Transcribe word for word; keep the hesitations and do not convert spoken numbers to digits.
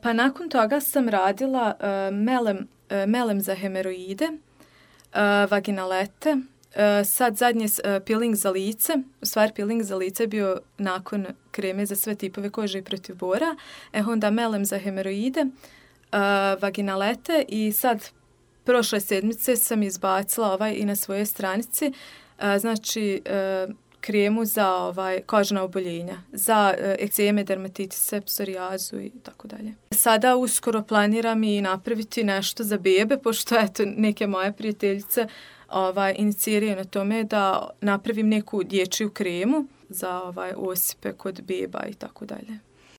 pa nakon toga sam radila uh, melem, uh, melem za hemoroide, uh, vaginalete, uh, sad zadnje uh, peeling za lice, u stvari peeling za lice je bio nakon kreme za sve tipove kože i protiv bora, e onda melem za hemoroide, uh, vaginalete i sad prošle sedmice sam izbacila ovaj i na svojoj stranici, uh, znači uh, kremu za ovaj kožna oboljenja, za uh, ekzeme, dermatitise, psorijazu i tako dalje. Sada uskoro planiram i napraviti nešto za bebe, pošto eto neke moje prijateljice ovaj iniciraju na tome da napravim neku dječju kremu za ovaj osipe kod beba i tako dalje.